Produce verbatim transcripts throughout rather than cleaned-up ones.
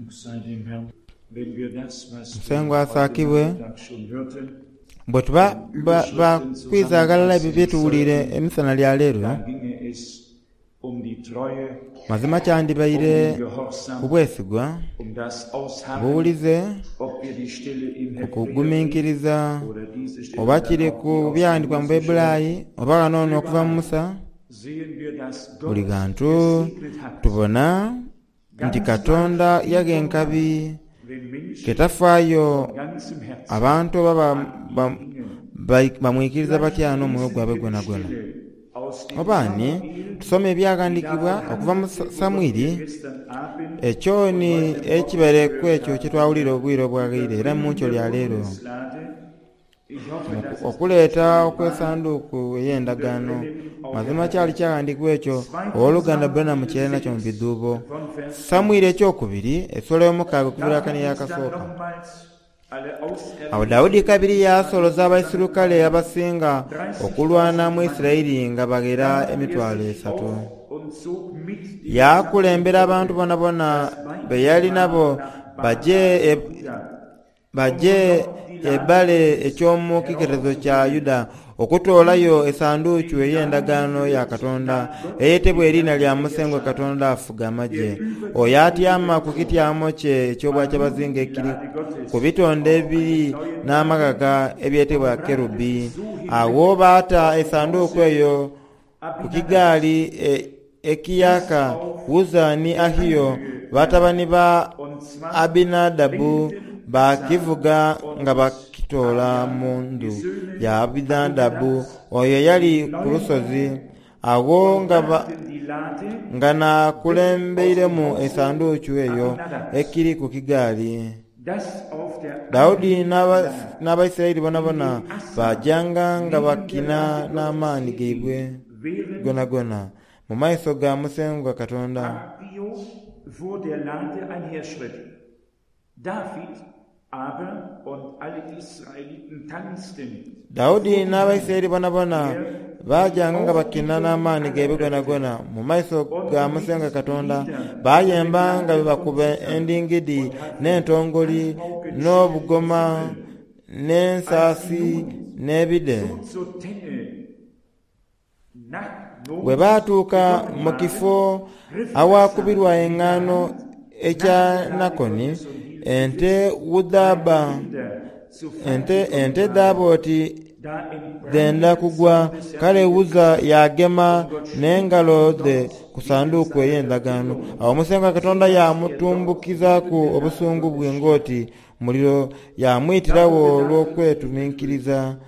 Dank sei dem Herrn, wenn wir das, was wir Musengwa heute asaakibwe Nachmittag schon hörten, bwe tuba ba- bakwiza aghalala ebyo byetuwulire emisana lya leero da ginge es um die Treue, mazima um kyandibaire den Gehorsam, ku bwesigwa um das Ausharren, buwulize ob wir die Stelle im ku Hebräerbrief kugumiikiriza oder diese Stelle oba dann kiri auch ku die aus dem byandikwa mu Mose schreibt, Bayibulayi oba kanono okuva mu Musa sehen wir, dass buli Gott gantu gesegnet hat. tubona nti Katonda yaga enkabi Wenn Menschen ketafaayo von ganzem Herzen abantu oba ba- ba- ba- bamwikiriza batya n'omwoyo lesen gwabwe wir die gwonagwona Stelle aus dem oba ni Samuel, tusoma ebyawandiikibwa die davon okuva mu handelte, Sa- worüber wir Samwiri gestern Abend ekyo und ni heute Morgen ekibereku gehört ekyo haben. kyetwawulira obwire obwaghaire Über era mu nkyo die lya leero Bundeslade. Ich hoffe, dass es okuleeta okw'essanduuku ey'endagaano mazima kyali kyawandiikibwa ekyo owooluganda Branham kye yali nakyo mu bidhuubo von Vers Samwiri ekyokubiri essula y'omukaaga okubira David kani ist dann yakasooka nochmals alle awo auserwählten Dawudi kabiri yaasoloza abaisirukale abasinga okulwana mu Isirayiri nga baghera Dann machte er emitwalo sich esatu auf und zog mit dem yaakulembera gesamten abantu Volk, bonabona das weit be yali war, nabo nach baje Baal e, Juda, baje um von dort die Lade ebbale eky'omu kiketezo kya Yuda okutoolayo essanduuku die ey'endagaano Lade ya führt Katonda nach Gott, eyetebwa dem eriina Herrn lya der Musengwa Herrscher, Katonda afuga amagye der über oyo die atyama ku Cherubim thront. kityamo kye War eky'obwakyabazinga nun die ekiri Lade ku Gottes bitonde auf ebiri einem neuen Wagen n'amagaga ebyetebwa und brachte kerubi sie so awo hinweg baata aus dem essanduuku Hause eyo ku Abinadabs, kigaali e- das ekiyaka auf Uza ni der Ahiyo Anhöhe batabani lag. ba Und zwar Abinadabu lenkten baakivuga Uzzah nga und bakitoola Ahia, mu die ndu Söhne ya Abinadabu Abinadabs, oyo eyali den ku neuen lusozi Wagen awo und nga ba- brachten die Lade nga weg aus dem nakulembeiremu Hause essanduuku eyo Abinadabs, ekiri ku kigaali das auf der Dawudi Anhöhe n'aba- lag, n'Abayisirayiri bonabona indem Asa bajjanga nga neben der bakina Lade Gottes n'amaanyi gaibwe herging, während gonagona mu maiso ga Musengwa Katonda Ahio vor der Lade einherschritt. David aber und alle Israeliten tanzten Dawudi vor dem Herrn, n'Abayisirayiri bonabona der baajanga die nga bakina Aufbietung n'amaanyi aller gaibwe Kräfte gonagona mu maiso und ga Musengwa mit Katonda Liedern baayemba nga bwe begleitet von bakuba Zithern endingidi und Harfen, n'entongoli Tanzpauken, Schellen und n'obugoma Zitteln. Als sie n'ensaasi nun n'ebide so zur Tenne nach bwe Nob baatuuka gekommen mu waren, kifo griff Asa awaakubirwa mit der eŋŋaano Hand ekya nach der Lade Nakoni Gottes und hielt sie ente fest, weil wudhaaba Kinder zu Fall ente gekommen ente waren. dhaaba oti Da dhenda entbrannte der kugwa Zorn des Herrn kale gegen Uza Asa, yagema und Gott schlug n'engalo ihn dhe dort ku wegen sanduuku seiner ey'endagaano Verfehlung, awo Musengwa so Katonda dass er dort yamutumbukizaaku neben der Lade obusungu bwe Gottes starb. ng'oti muliro Da yamwitirawo wurde David olw'okwetuminkiriza unglücklich,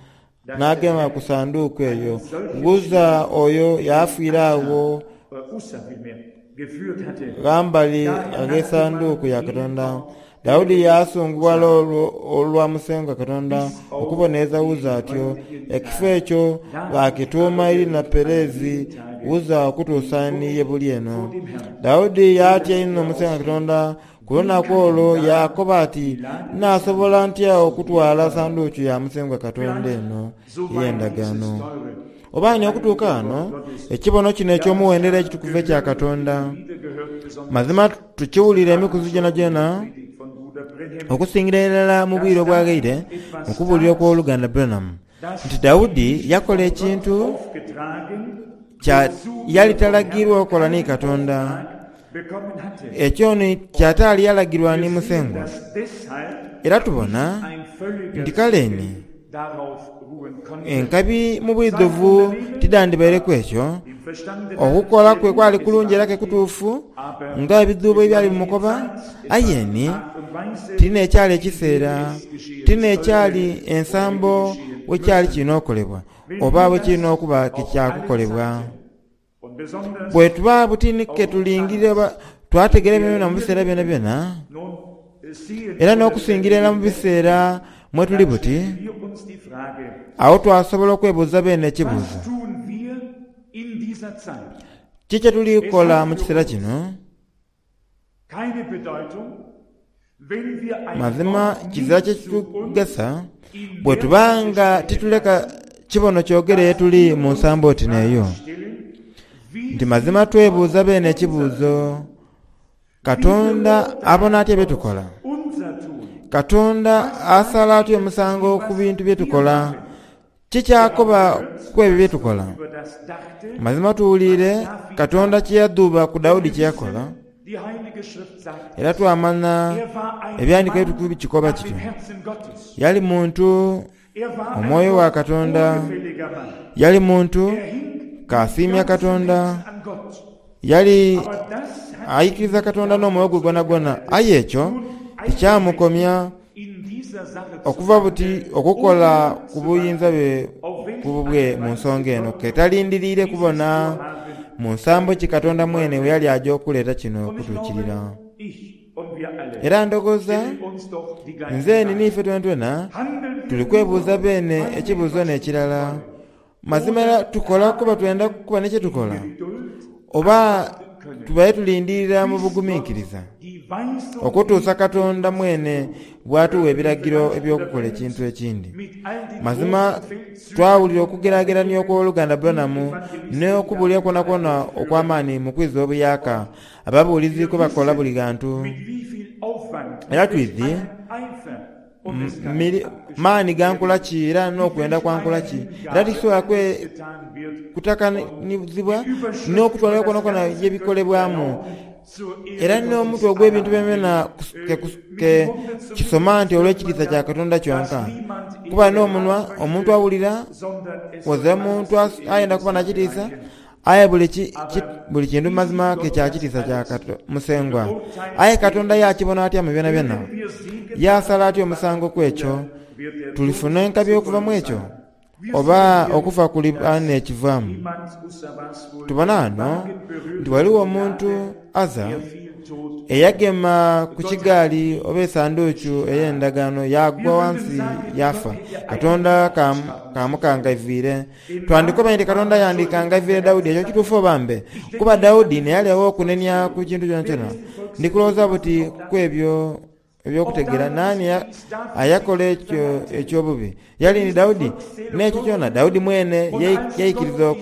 dass der n'agema ku Herr sanduuku eyo einen solchen Uza Schlag oyo gegen yafiira Asa, awo äh, Ussa vielmehr, geführt hatte, ghambali da er ag'essanduuku nachgewandt ya gegen Katonda auch Dawudi gegen yaasunguwala Ussa, olwo olwa Musengwa Katonda bis auf okubonereza den Uza atyo heutigen ekifo Tag. ekyo David baakituuma aber erina ritt an Perezi jedem Tage Uza okutuusa die ni Burg ye buli vor eno dem Herrn, Dawudi so yaatya dass inho er Musengwa ausrief, Katonda ku Wie lunaku kann olwo da yaakoba ati die Lade des nnaasobola Herrn ntya zu mir okutwala kommen? sanduuku ya Musengwa Katonda Vielleicht eno so weit ey'endagaano dieses teure oba und ni okutuuka heilige wano Wort Gottes, ekibono kino das eky'omuwendero ekitukuvu ekya gehört Katonda und wieder gehört, besonders mazima tukiwulira emikuzi abends gyona schon in der gyona Predigt von Bruder Branham, okusingira irala mu bwire dass obwaghaire David mu etwas kubuulira tat, okw'oluganda Branham das nti Dawudi nicht yakola von Gott ekintu aufgetragen, kya wozu yali er vom talagirwa Herrn okukola ni keinen Katonda Auftrag bekommen hatte. ekyo ni kyataali yalagirwa Wir ni sehen, Musengwa dass deshalb era nicht tubona ein völliger nti kale ni Segen darauf ruhen konnte. enkabi mu Sein bwidhuvu Unternehmen tidandibaireku war ekyo dem Verstande nach okukola sehr kwe gut, kwali es kulungi war era ke richtig, kutuufu aber nga ebidhuubo es war ebyali nicht die bimukoba Zeit, es war aye die ni Art und Weise, tina ekyali in der ekiseera es geschehen tina ekyali sollte oder hätte ensambo geschehen wekyali müssen. kirina okolebwa Wenn oba wir bwe kirina das okuba auf allen kekyakukolebwa Seiten und besonders bwe tuba butinike auf die tulingire Zeit, oba twategera in der ebyona mu wir biseera byona leben, byona nun äh, sehen era oder n'okusingira werden era mu wir biseera mwe tuli dann buti stellen wir uns die Frage, awo twasobola okwebuuza beene ekibuuzo was tun wir in dieser Zeit? ki kye tuli Es kukola hat mu für kiseera uns kino keine Bedeutung, wenn wir ein mazima Wort kizira nicht kye zu uns kitugasa in bwe der tuba Weise nga sprechen tituleka lassen, kibono kyogere dass tuli wir mu uns nsambo die oti Frage neeyo stellen, wie nti mazima sieht twebuuza Gott beene unser ekibuuzo Katonda abona atya byetukola? Katonda asala atya omusango ku bintu byetukola? Kikyakoba ku ebyo byetukola? Mazima tuwulire Katonda kyeyadhuuba ku Dawudi kyeyakola, era twamanya ebyandiiko ebitukuvu bikikoba kityo. Yali muntu omwoyo wa Katonda, yali muntu kasiimya Katonda, yali aikiriza Katonda n'omwoyo gwe gwonagwona. Aye ekyo tikyamukomya okuva buti okukola ku buyinza bwe ku bubwe mu nsonga eno, ke talindiriire kubona mu nsambo ki Katonda mwene we yali aja okuleeta kino okutuukirira. Era ndowooza nze ni n'ife twenatwena tuli kwebuuza beene ekibuuzo n'ekirala. Mazima era tukola kuba twenda kuba n'ekyetukola, oba tubaire tulindirira mu buguminkiriza okutuusa Katonda mwene bw'atuwa ebiragiro eby'okukola ekintu ekindi. Mazima twawulira okugeragerania okw'oluganda Branham n'okubuulira kwonakwona okw'amaani mu kwiza obuyaka ababuulizi kwe bakola buli ghantu. Era twidhi maani gankola ki era n'okwenda kwankola ki, era tikisobola kutakanizibwa n'okutwalira kwonakwona yebikolebwamu. Era n'omutwe ogw'ebintu byona ke kisoma nti olw'ekitiisa kya Katonda kyonka. Kuba n'omunwa omuntu awulira, wazira muntu ayenda kuba na kitiisa, aye buli kintu mazima ke kya kitiisa kya Musengwa. Aye Katonda yakibona atya mu byonabyona? Yasala atya omusango ku ekyo? Tulifuna enkabi okuva mu ekyo, oba okufa kuliba n'ekivaamu? Tubona ghano nti ghaligho omuntu Aza eyagema ku kigaali oba esanduuku ey'endagaano yagwa ghansi yafa. Katonda kamukangaivwire. Twandikoba nti Katonda yandikangaivwire Dawudi. Ekyo kituufu oba mbe? Kuba Dawudi neyali ow'okunenia ku kintu kyonakyona. Ndi kulowooza buti ku ebyo eby'okutegeera naani ayakola ekyo eky'obubi. Yali ni Dawudi n'ekyo kyona. Dawudi mwene yaikiriza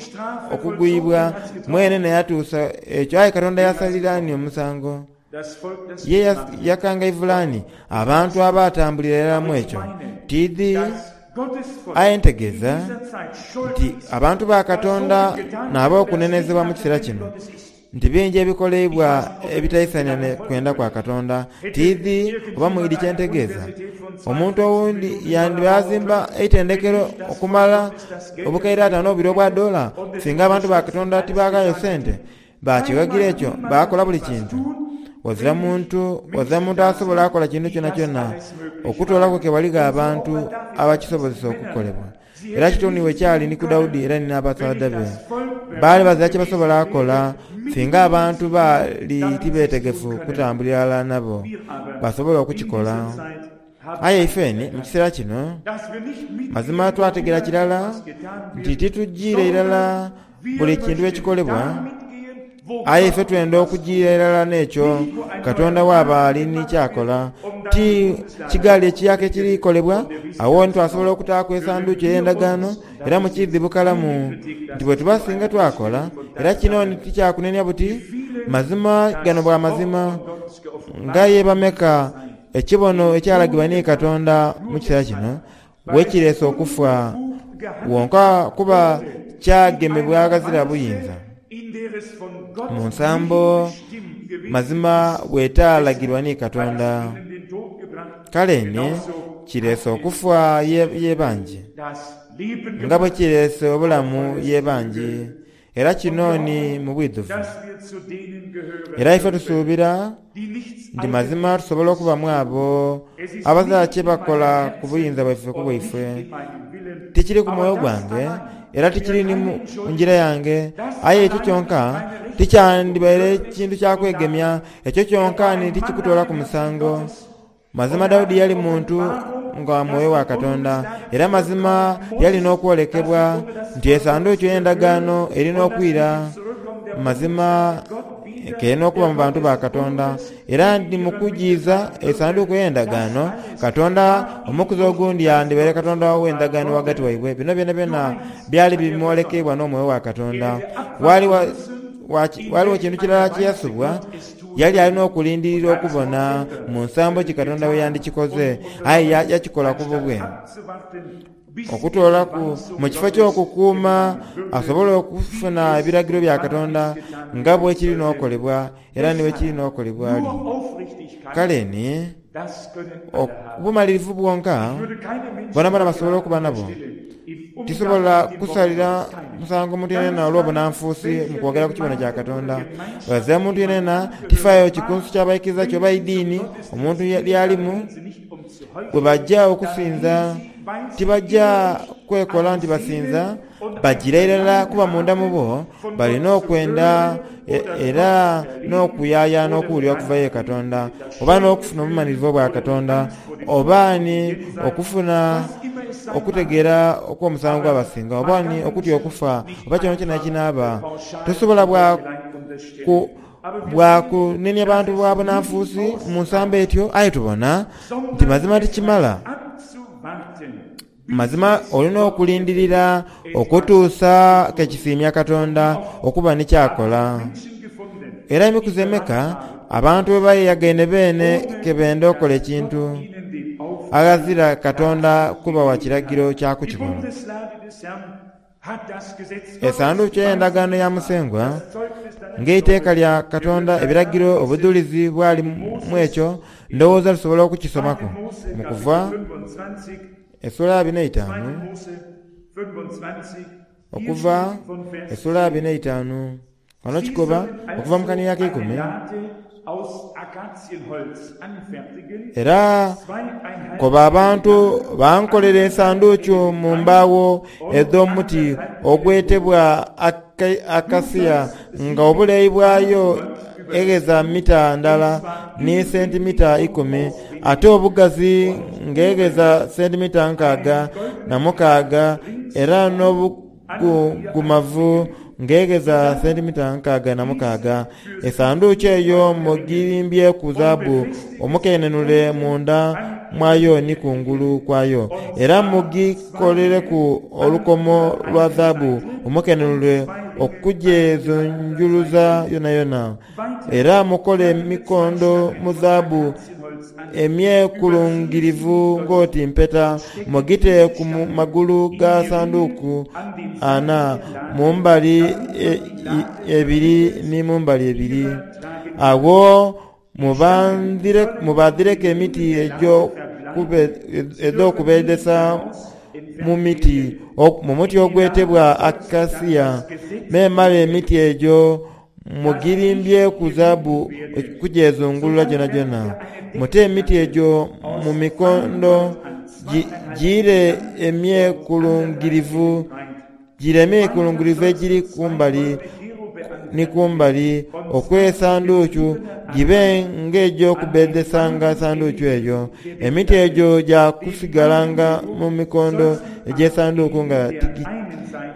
okugwibwa, mwene neyatuusa ekyo. Aye Katonda yasalira ani omusango? Ye yakangaivula ani abantu abatambulira irala mu ekyo? Tiidhi. Aye ntegeeza nti abantu ba Katonda n'ab'okunenezebwa mu kiseera kino, nti bingi ebikoleibwa ebitaisania kwenda kwa Katonda. Tiidhi oba mwidhi kyentegeeza. Omuntu owundi yandiba azimba eitendekero okumala obukaire ataano obubiri obwa dola, singa abantu ba Katonda tibaghayo sente bakighagira ekyo bakola buli kintu. Wazira muntu wazira muntu asobola akola kintu kyonakyona okutoolaku ke waligho abantu abakisobozesa okukolebwa. Era kitoni we kyali ni ku Dawudi era ni n'abasaadha be. Baali bazira kye basobola akola singa abantu baali tibeetegefu kutambulira ghalala nabo basobole okukikola. Aye ifeni mu kiseera kino mazima twategera kirala nti titujiire irala buli kintu ekikolebwa, aye ife twenda okujiira irala n'ekyo Katonda waaba ali ni kyakola. Ti kigaali ekiyaka ekirikolebwa, awo ntitwasobola okutaaku esanduuku ey'endagaano, era mukiidhi bukalamu nti bwe tuba singa twakola. Era kino tikyakunenia buti mazima gano bwa mazima, nga ye bameka ekibono ekyalagibwa ni Katonda mu kiseera kino wekireese okufa wonka kuba kyagemebwa aghazira buyinza. Mu nsambo mazima bwetaalagirwa ni Katonda, kale ni kireese okufa ye bangi, nga bwe kireese obulamu ye bangi. Era kino ni mu bwidhuvu. Era ife tusuubira nti mazima tusobola okubamu abo abazira kye bakola ku buyinza bwaife ku bwaife. Tikiri ku mwoyo gwange era tikiri ni mu ngira yange, aye ekyo kyonka tikyandibaire kintu kya kwegemya. Ekyo kyonka ni tikikutoolaku musango. Mazima Dawudi yali muntu nga mwoyo wa Katonda, era mazima yali n'okwolekebwa nti esanduuku ey'endagaano erina okwira. Mazima kerina okuba mu bantu ba Katonda, era ndi mu kujiiza esanduuku ey'endagaano Katonda omukuzi ogundi yandibaire Katonda w'endagaano ghagati waibwe. Bino byonabyona byali bimwolekebwa n'omwoyo wa Katonda. Ghaligho kintu kirala kye yasubwa, Yali alina okulindirira okubona mu nsambo ki Katonda we yandikikoze, aye yakikola ku bubwe. Okutoolaku mu kifo ky'okukuuma asobole okufuna ebiragiro bya Katonda nga bwe kirina okolebwa era ni bwe kirina okolebwa ali. Kale ni obumalirivu bwonka boonaboona basobola okuba nabwo. Tisobola kusalira musango muntu yenayena olw'obunanfuusi mu kwogera ku kibono kya Katonda. Ghazira muntu yenayena tifaayo kikunsu kya baikiriza ki oba idiini omuntu lyalimu, bwe baja okusinza tibaja kwekola nti basinza, bagira irala kuba munda mu bo balina okwenda era n'okuyayaana okuwulira okuva ye Katonda, oba n'okufuna obumalirivu obwa Katonda, oba ni okufuna okutegeera okw'omusango gwabasinga, oba ni okutya okufa, oba kyonakyona ekinaaba. Tosobola bwa ku bwa kunenia bantu bwa bunanfuusi mu nsambo etyo, aye tubona nti mazima tikimala. Mazima olina okulindirira okutuusa ke kisiimya Katonda okuba ni ky'akola. Era emikuzi emeka abantu bwe beeyagaine beene ke benda okola ekintu aghazira Katonda kubawa kiragiro kya kukikola. Esanduuku ey'Endagaano ya Musengwa, ng'eiteeka lya Katonda, ebiragiro, obudhulizi bwali mu ekyo, ndowooza tusobola okukisomaku mu Kuva esula abiri n'eitaanu, Okuva esula abiri n'eitaanu. Ghano kikoba okuva mu kanhiriri akeikumi. Era koba abantu bankolere esanduuku mu mbaawo edh'omuti ogwetebwa akasia, nga obuleeyi bwayo egheza mita ndala ni sentimita ikumi, ate obugazi ng'egheza sentimita nkaaga na mukaaga, era n'obugungumavu ng'egheza sentimita nkaaga na mukaaga. Esanduuku eyo mugirimbyeku zaabu omukenenule munda mwayo ni ku ngulu kwayo. Era mugikolereku olukomo lwa zaabu omukenenule okugyezunguluza yonayona. Era mukole emikondo mu zaabu emyekulungirivu ng'oti mpeta, mugite ku magulu ga sanduuku ana, mu mbali ebiri ni mu mbali ebiri. Agho mubaadhireku emiti edh'okubbeedesa mu muti ogwetebwa akasia, memale emiti egyo mugirimbyeku zaabu okugyezungulula gyonagyona. Mute emiti egyo mu mikondo gire emyekulungirivu egiri ku mbali ni ku mbali okw'esanduuku, gibe ng'egy'okubbeedesanga esanduuku eyo. Emiti egyo gya kusigalanga mu mikondo egy'esanduuku nga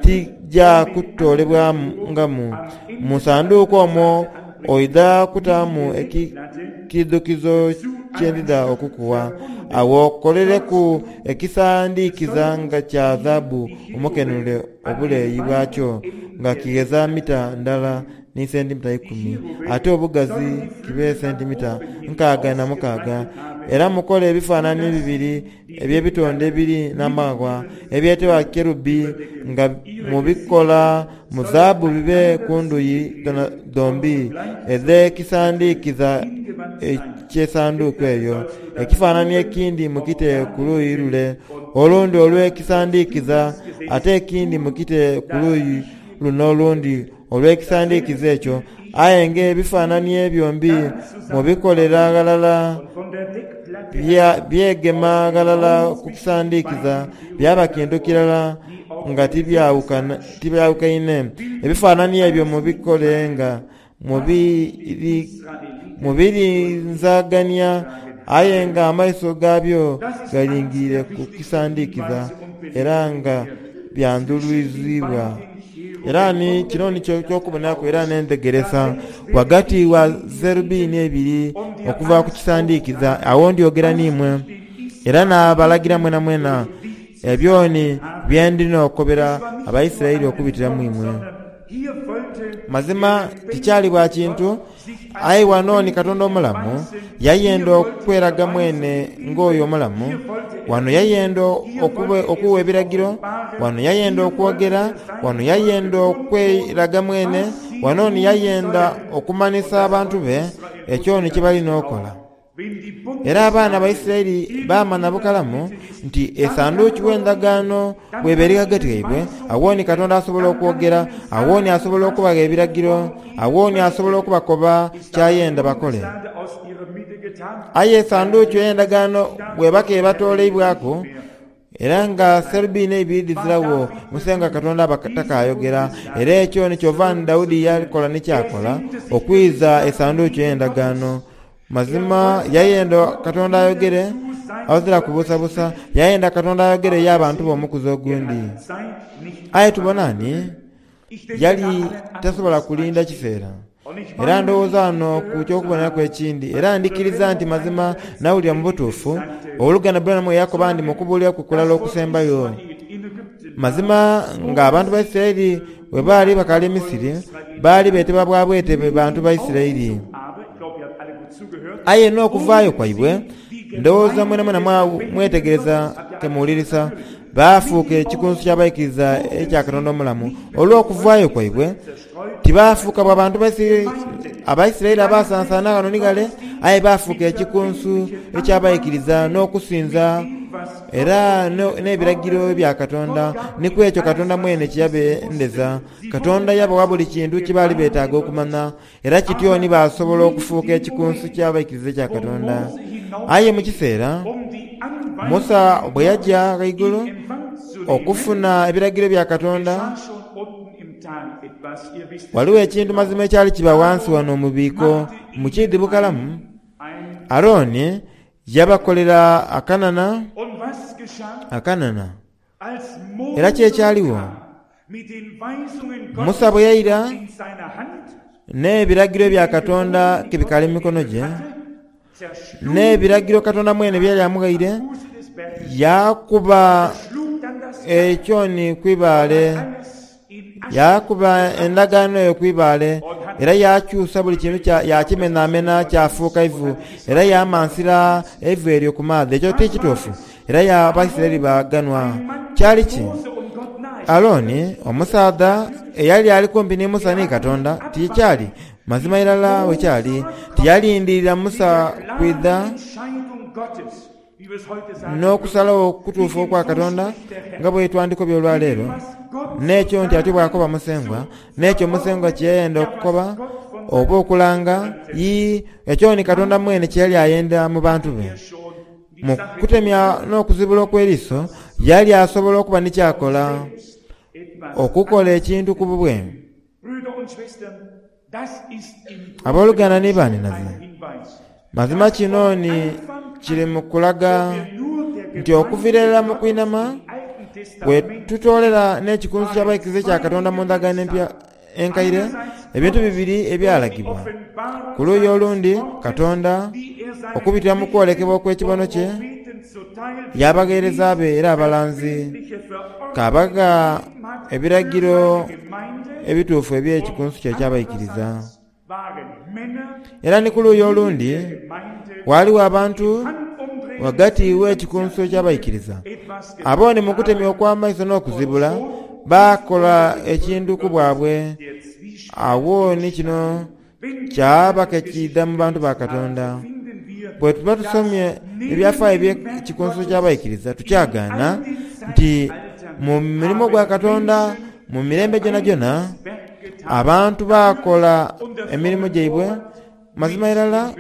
tigya kutoolebwangamu. Mu sanduuku omwo oidha kutaamu ekiidhukizo kye ndidha okukuwa. Agho okolereku ekisandiikiza nga kya zaabu omukenenule, obuleeyi bwakyo nga kigheza mita ndala ni sentimita ikumi, ate obugazi kibe sentimita nkaaga na mukaaga. Era mukole ebifaananie bibiri eby'ebitonde ebiri n'amaghagha ebyetebwa kerubi, nga mubikola mu zaabu bibe ku ndhuyi dhombi edh'ekisandiikiza eky'esanduuku eyo. Ekifaananie ekindi mukite ku luuyi lule olundi olw'ekisandiikiza, ate ekindi mukite ku luuyi luno olundi olw'ekisandiikiza ekyo. Aye ng'ebifaananie byombi mubikolera ghalala byegema ghalala ku kisandiikiza, byaba kintu kirala nga tibyawukaine. Ebifaananie ebyo mubikole nga mubirinzagania, aye ng'amaiso gaabyo galingiire ku kisandiikiza era nga byandhuluziibwa. Era ni kino ni eky'okuboneraku era n'endhegeresa ghagati wa zerubini eibiri okuva ku kisandiikiza. Agho ndyogera n'imwe era naabalagira mwenamwena ebyo ni bye ndi n'okobera Abaisiraeli okubitira mu imwe. Mazima tikyali bwa kintu, Aye wano ni Katonda omulamu yayenda okweraga mwene ng'oyo omulamu. Wano yayenda okuwa ebiragiro, wano yayenda okwogera, wano yayenda okweraga mwene, wano ni yayenda okumanisa abantu be ekyo ni kyebalina okola. Era abaana ba Isiraeli baamanya bukalamu nti esanduuku w'endagaano bw'eba eri ghagati ghaibwe, awo ni Katonda asobola okwogera, awo ni asobola okubagha ebiragiro, awo ni asobola okubakoba kyayenda bakole. Aye esanduuku ey'endagaano bw'eba kebatoleibwaku, era nga serubiini eibiri dhiziragho, Musengwa Katonda aba takayogera. Era ekyo ni kyova ni Daudi yakola ni kyakola okwiza esanduuku ey'endagaano. Mazima yayenda Katonda ayogere awazira kubuusabuusa, yayenda Katonda ayogere ye abantu b'omukuzi ogundi. Aye tubona ni yali tasobola kulinda kiseera. Era ndowooza wano ku ky'okuboneraku ekindi, era ndikiriza nti mazima nawulira mu butuufu oluganda Branham yakoba ndi mu kubuulira kwe kulala okusembayo. Mazima ng'abantu ba Isiraeli bwe baali bakaali e Misiri, baali beetebwa bwa bwetebe bantu ba Isiraeli. Aye n'okuvaayo kwaibwe, ndowooza mwenamwena mwetegereza ke muwulirisa, baafuuka ekikunsu ky'abaikiriza ekya Katonda omulamu. Olw'okuvaayo kwaibwe, tibaafuuka bwa bantu Abaisiraeli abasansaana ghano ni ghale, aye baafuuka ekikunsu eky'abaikiriza n'okusinza era n'ebiragiro bya Katonda. Ni ku ekyo Katonda mwene kye yabendeza. Katonda yabawa buli kintu kye baali beetaaga okumanya, era kityo ni baasobola okufuuka ekikunsu ky'abaikiriza ekya Katonda. Aye mu kiseera Musa bwe yaja ghaigulu okufuna ebiragiro bya Katonda, waliwo ekintu mazima ekyali kiba wansi wano mu biiko mu kiidhi bukalamu. Aroni yabakolera akanana akanana. Era ki ekyaliwo? Musa bwe yaira n'ebiragiro bya Katonda kebikaali mu mikono gye, n'ebiragiro Katonda mwene bye yali amughaire, yakuba ekyoni ku ibaale, yakuba endagaano eyo ku ibaale, era yakyusa buli kintu yakimenamena kyafuuka ivu, era yamansira eivu eryo ku maadhi. Ekyo ti kituufu. Era Abaisiraeli baaganhwa. Kyali ki? Aroni, omusaadha eyali ali kumpi ni Musa ni Katonda, tikyali mazima irala bwe kyali, tiyalindirira Musa kwidha n'okusalagho okutuufu okwa Katonda nga bwe twandikobye olwaleero, n'ekyo nti atyo bw'akoba Musengwa, n'ekyo Musengwa kye yayenda okukoba oba okulanga. Yii, ekyo ni Katonda mwene kye yali ayenda mu bantu be. Mu kutemya n'okuzibula okw'eriiso, yali asobola okuba ni kyakola okukola ekintu ku bubwe. Abooluganda ni baninaze, mazima kino ni kiri mu kulaga nti okuviira irala mu kwinama bwe tutoolera n'ekikunsu ky'abaikiriza ekya Katonda mu ndagaano empya enkaire, ebintu bibiri ebyalagibwa. Ku luuyi olundi, Katonda okubitira mu kwolekebwa okw'ekibono kye, y'abagheereza be era abalanzi, k'abagha ebiragiro ebituufu eby'ekikunsu kye eky'abaikiriza. Era ni ku luuyi olundi, ghaligho abantu ghagati w'ekikunsu eky'abaikiriza. Abo ni mu kutemya okw'amaiso n'okuzibula, baakola ekintu ku bwabwe. Agho ni kino kyaba ke kiidha mu bantu ba Katonda. Bwe tuba tusomye ebyafaayo eby'ekikunsu ky'abaikiriza, tukyagaana nti mu mulimo gwa Katonda mu mirembe gyonagyona, abantu baakola emirimo gyaibwe mazima irala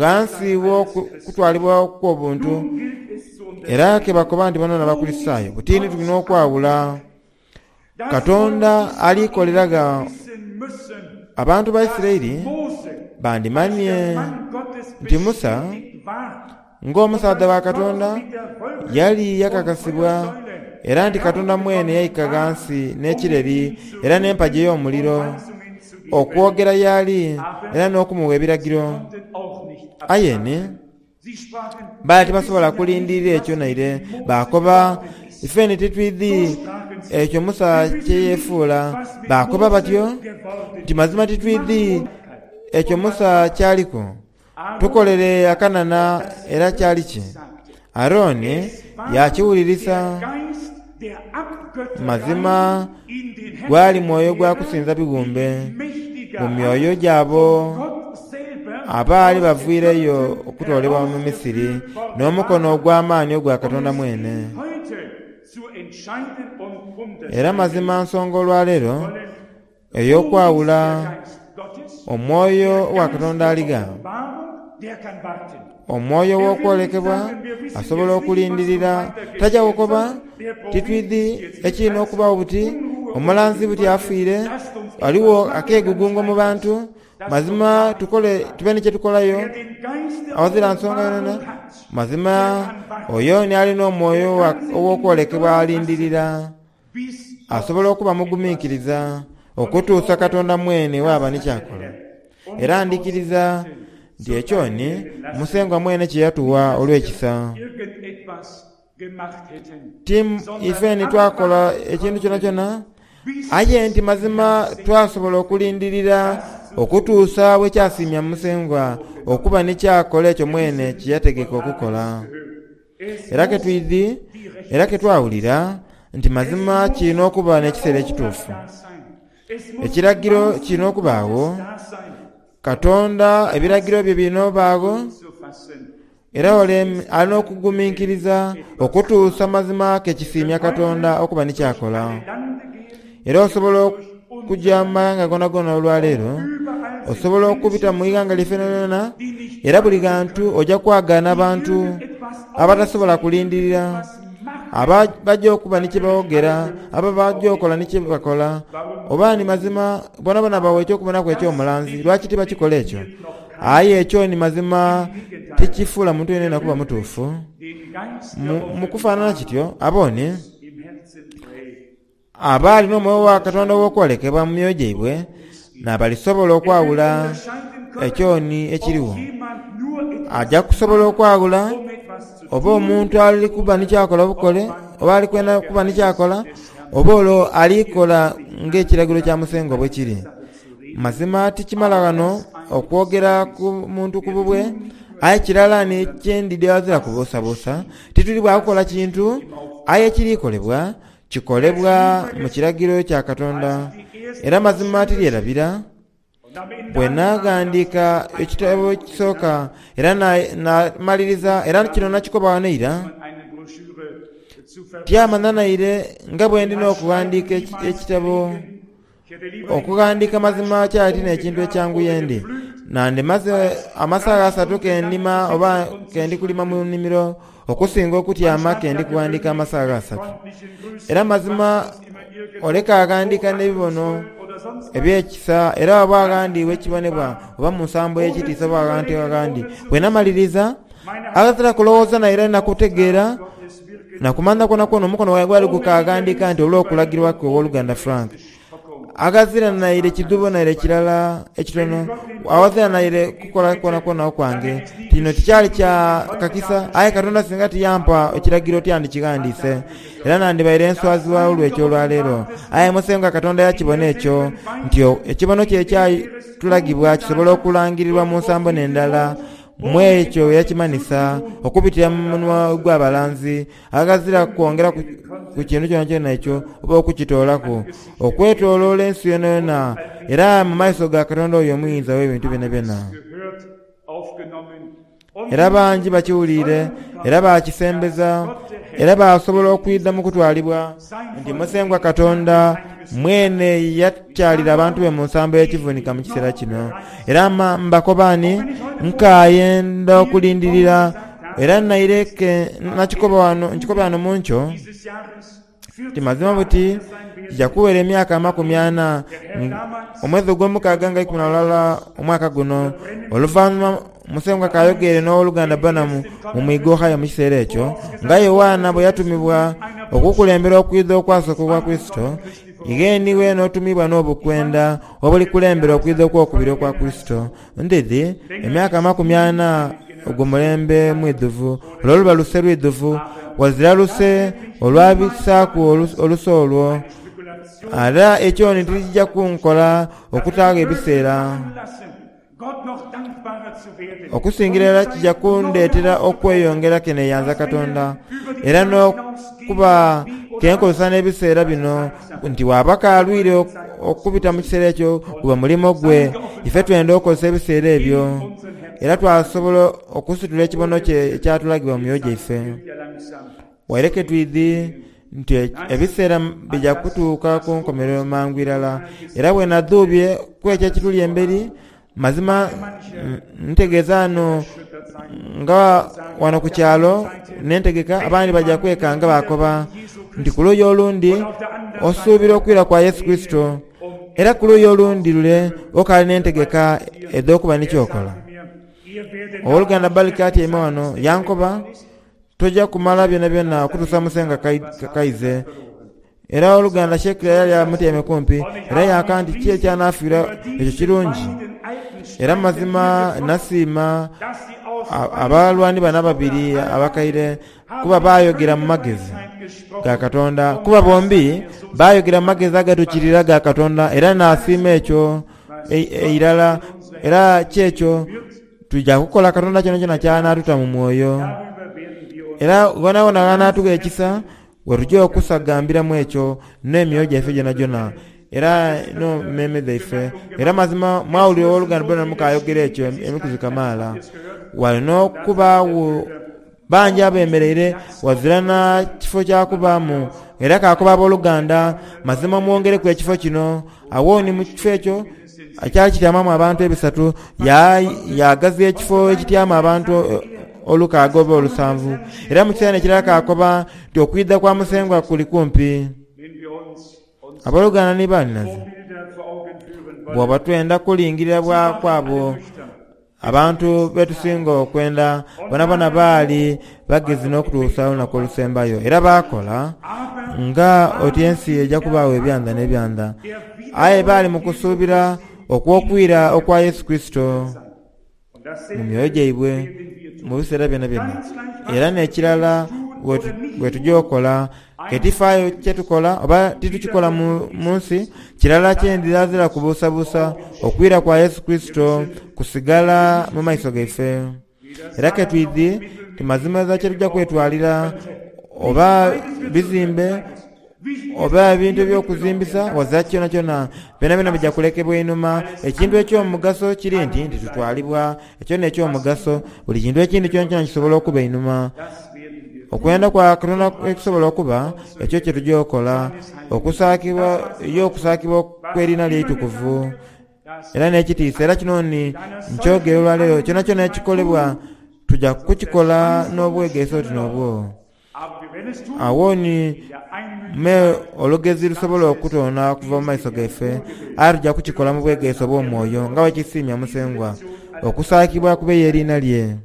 ghansi w'okutwalibwa okw'obuntu, era ke bakoba nti bano n'Abakulisitaayo. Butini tulina okwawula. Katonda alikolera abantu ba Isiraeli bandimanye nti Musa ng'omusaadha wa Katonda yali yakakasibwa, era nti Katonda mwene yaika ghansi n'ekireri era n'empagi ey'omuliro okwogera y'ali era n'okumuwa ebiragiro. Aye ni baali tibasobola kulindirira ekyo naire, baakoba ife ni titwidhi ekyo Musa kye yeefuula. Baakoba batyo nti mazima titwidhi Ekyo Musa kyaliku. Tukolere akanana era kyali ki? Aroni yakiwulirisa. Mazima gwali mwoyo gwa kusinza bibumbe mu myoyo gyabo abaali baviireyo okutoolebwa mu Misiri n'omukono ogw'amaani ogwa Katonda mwene. Era mazima nsonga olwaleero ey'okwawula omwoyo wa Katonda aliga. Omwoyo w'okwolekebwa asobola okulindirira tajja kukoba titwidhi ekirina okubaawo buti omulanzi buti afiire aliwo akeegugungo mu bantu mazima tukole tube ni kyetukolayo awazira nsonga yonayona. Mazima oyo ni alina omwoyo ow'okwolekebwa alindirira asobola okuba mugumiikiriza okutuusa Katonda mwene waaba ni kyakola. Era ndikiriza nti ekyo ni Musengwa mwene kye yatuwa olw'ekisa. Ti ife ni twakola ekintu kyonakyona, aye nti mazima twasobola okulindirira okutuusa bwe kyasiimya Musengwa okuba ni kyakola ekyo mwene kye yategeka okukola. Era ke twidhi era ke twawulira nti mazima kirina okuba n'ekiseera ekituufu. Ekiragiro kirina okubaawo, Katonda ebiragiro bye birina obaagho, era ole alina okugumiikiriza okutuusa mazima ke kisiimya Katonda okuba ni kyakola. Era osobola okujja mu maghanga gonagona olwaleero, osobola okubita mu ighanga lyaife lyonayona, era buli ghantu ojja kwagaana abantu abatasobola kulindirira, aba bajja okuba ni kyebawogera, aba bajja okola ni kyebakola, oba ni mazima bonabona bawa ekyokubonaku eky'omulanzi. Lwaki tibakikola ekyo? Aye ekyo ni mazima tikifuula muntu yenayena kuba mutuufu. Mu kufaanana kityo abone abaali n'omwoyo wa Katonda ow'okwolekebwa mu myoyo gyaibwe n'abalisobola okwawula ekyoni ekiriwo. Ajja kusobola okwawula oba omuntu ali kuba ni kyakola bukole oba ali kwenda kuba ni kyakola oba olwo alikola ng'ekiragiro kya Musengwa bwe kiri. Mazima tikimala ghano okwogera ku muntu ku bubwe, aye kirala ni kyendidde ghazira kubuusabuusa tituli bwa kukola kintu aye ekirikolebwa kikolebwa mu kiragiro kya Katonda. Era mazima tiryerabira bwe naghandiika ekitabo ekisooka era namaliriza era kino nakikoba ghano eira tyamanya naire nga bwe ndina okughandiika ekitabo. Okughandiika mazima kyali n'ekintu ekyanguye ndi nandimaze amasaga asatu kendima oba kendi kulima mu nnimiro okusinga okutyama kendi kughandiika amasaga asatu. Era mazima oleka aghandiika n'ebibono eby'ekisa era oba aghandiibwa ekibonebwa oba mu nsambo y'ekitiisa oba aghantu aghandi. Bwe namaliriza aghazira kulowooza naire nakutegeera nakumanya kwonakwona omukono gwange gwali gukaghandiika nti olw'okulagirwa kwe ow'oluganda Frank. Aghazira naire kidhubo naire kirala ekitono, aghazira naire kukola kwonakwona okwange. Kino tikyali kya kakisa, aye Katonda singa tiyampa ekiragiro tyandikighandiise era nandibaire enswazi olw'ekyo olwaleero. Aye Musengwa Katonda yakibona ekyo nti ekibono kye ekyatulagibwa kisobola okulangirirwa mu nsambo n'endala mu ekyo yakimanisa okubitira mu munwa gw'abalanzi aghazira kwongera ku kintu kyonakyona ekyo oba okukitoolaku okwetooloola ensi yonayona era mu maiso ga Katonda oyo omuyinza w'ebintu byonabyona. Era bangi bakiwuliire era bakisembeza era basobola okwidha mu kutwalibwa nti Musengwa Katonda mwene yakyalira abantu be mu nsambo y'ekivunika mu kiseera kino. Era mbakoba ni nkaayenda okulindirira era naireke nakikoba wano nkikoba wano mu nkyo ti mazima buti kijja kuwera emyaka amakumi ana omwezi ogw'omukaaga nga ikumi na lulala omwaka guno oluvannyuma Musengwa kayogere n'owoluganda Branham mu mwiga Ohio mu kiseera ekyo nga Yowaana bwe yatumibwa okukulembera okwidha okwasooka okwa Kurisito igheniwe n'otumibwa n'obukwenda obulikulembera okwidha okwokubiri okwa Kurisito. Ndidhi emyaka amakumi ana ogwo mulembe mwidhuvu olwo luba luse lwidhuvu wazira luse olwabisaaku oluse olwo era ekyo ni tikijja kunkola okutaagho ebiseera. Okusingira irala kijja kundeetera okweyongera keneyanza Katonda era n'okuba kenkozesa n'ebiseera bino nti waba kalwire okubita mu kiseera ekyo guba mulimo gwe ife twenda okukozesa ebiseera ebyo era twasobola okusitula ekibono kye ekyatulagibwa mu myoyo gyaife. Waireke twidhi nti ebiseera bijja kutuuka ku nkomerero mangu irala era bwe nadhuubye ku ekyo ekituli emberi mazima ntegeeza ano nga wano ku kyalo nentegeka abandi bajja kwekanga bakoba nti ku luuyi olundi osuubira okwira kwa Yesu Kristo era ku luuyi olundi lule okaali n'entegeka edh'okuba nikyokola. Owooluganda Balika atyaime wano yankoba tojja kumala byona byona okutuusa Musenga kaize. Era owooluganda Shekira yali amutyaime kumpi era yanka nti ki ekyanafiira ekyo kirungi. Era mazima nasiima abalwani bano ababiri abakaire kuba bayogera mu magezi ga Katonda, kuba bombi bayogera mu magezi agatukirira ga Katonda era nasiima ekyo eirala era kyekyo tujja kukola Katonda kyona kyona kyanatuta mu mwoyo. Era wonawona ghanatugha ekisa wetujja okusagambiramu ekyo n'emyoyo gyaife gyonagyona era no mmeeme dhaife. Era mazima mwawulira owooluganda Branham kayogera ekyo emikuzi kamaala. Wali n'okubaawo bangi abemereire wazira na kifo kyakubaamu era kakoba abooluganda mazima mwongereku ekifo kino. Awo ni mu kifo ekyo ekyali kityamamu abantu ebisatu yagaziya ekifo ekityama abantu olukaaga oba olusanvu. Era mu kiseera ekirala kakoba nti okwidha kwa Musengwa kuli kumpi. Abooluganda ni baninaze, bw'oba twenda kulingirira bwa kwabo abantu betusinga okwenda bonabona baali bagezi n'okutuusa olunaku olusembayo era baakola nga oti ensi ejja kubaawo ebyanda n'ebyanda. Aye baali mu kusuubira okw'okwira okwa Yesu Kristo mu myoyo gyaibwe mu biseera byona byona. Era n'ekirala bwe tujja okola ketifaayo kyetukola oba titukikola mu nsi kirala kyendirazira kubuusabuusa okwira kwa Yesu Kristo kusigala mu maiso gaife. Era ketwidhi ti mazima eza kyetujja kwetwalira oba bizimbe oba ebintu ebyokuzimbisa wazira kyona kyona byona byona bijja kulekebwa einhuma. Ekintu eky'omugaso kiri nti nti tutwalibwa ekyo n'ekyomugaso buli kintu ekindi kyona kyona kisobola okuba einhuma. Okwenda kwa Katonda ekusobola okuba ekyo kye tujja okola okusaakibwa yo okusaakibwa kw'erina lyeitukuvu era n'ekitiisa. Era kino ni nkyogera olwaleero kyona kyona ekikolebwa tujja kukikola n'obwegeesa oti n'obwo. Awo ni me olugezi lusobola okutoona okuva mu maiso gaife aye tujja kukikola mu bwegeesa obw'omwoyo nga bwekisiimya Musengwa okusaakibwa kube y'erina lye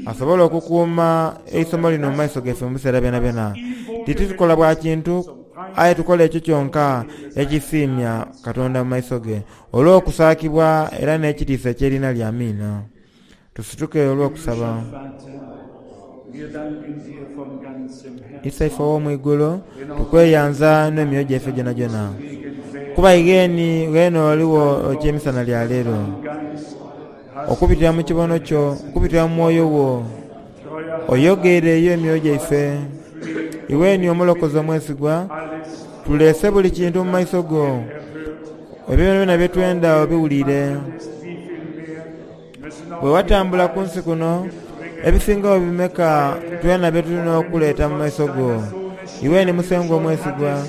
asobola okukuuma eisomo lino mu maiso gaife mu biseera byonabyona. Titukola bwa kintu aye tukola ekyo kyonka ekisiimya Katonda mu maiso ge olw'okusaakibwa era n'ekitiisa eky'erina lye. Amiina. Tusituke olw'okusaba. Isaife ow'omwigulu tukweyanza n'emyoyo gyaife gyonagyona kuba igheni ghene oliwo ekyemisana lya leero okubitira mu kibono kyo okubitira mu mwoyo wo oyogeereyo emyoyo gyaife. Iweni omulokozi omwesigwa tulese buli kintu mu maiso go ebyo byona byetwenda obiwulire. Bwe watambula ku nsi kuno ebisingawo bimeka twena bye tulina okuleeta mu maiso go. Iweni Musengwa omwesigwa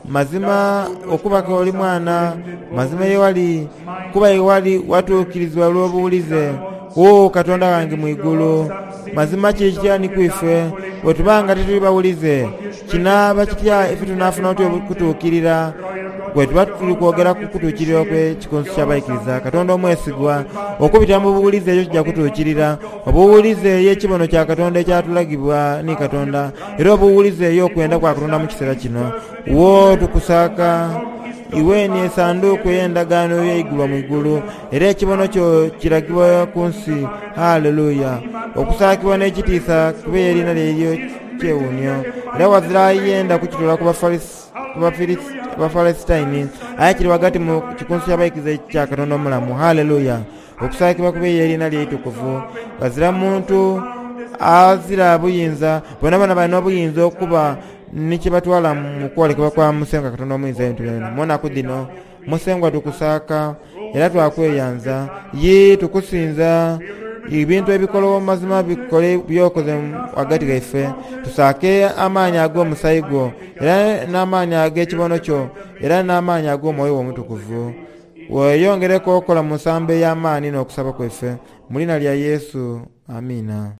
mazima okubaka oli mwana mazima yewali kuba yewali watuukirizibwa olw'obuwulize. O Katonda wange mwigulu mazima kiri kitya ni kwife bwe tubanga tituli bawulize kinaaba kitya ife tunaafuna otya okutuukirira bwe tuba tuli kwogera ku kutuukirira okw'ekikunsu ky'abaikiriza. Katonda omwesigwa okubitira mu buwulize ekyo kijja kutuukirira. Obuwulize ey'ekibono kya Katonda ekyatulagibwa ni Katonda era obuwulize ey'okwenda kwa Katonda mu kiseera kino. Wo tukusaaka iweni esanduuku ey'endagaano eyaigulwa mu igulu era ekibono kyo kiragibwa ku nsi. Haleluya. Okusaakibwa n'ekitiisa kube erina lyeryo kyewuunyo era wazira yenda kukitoola ku Bafalesitaini aye kiri ghagati mu kikunsu ky'abaikiriza kya Katonda omulamu. Haleluya. Okusaakibwa kube y'eriina lye eitukuvu. Ghazira muntu azira buyinza, bonabona balina obuyinza okuba ni kyebatwala mu kwolekebwa kwa Musengwa Katonda Omuyinza w'ebintu byonabyona. Mu naku dhino Musengwa tukusaaka era twakweyanza, ye tukusinza. Ebintu ebikologho mazima bikole by'okoze ghagati ghaife. Tusaake amaani ag'omusaayi gwo, era n'amaani ag'ekibono kyo, era n'amaani ag'omwoyo wo Omutukuvu. Weeyongereku okukola mu nsambo ey'amaani n'okusaba kwaife. Mu liina lya Yesu, amiina.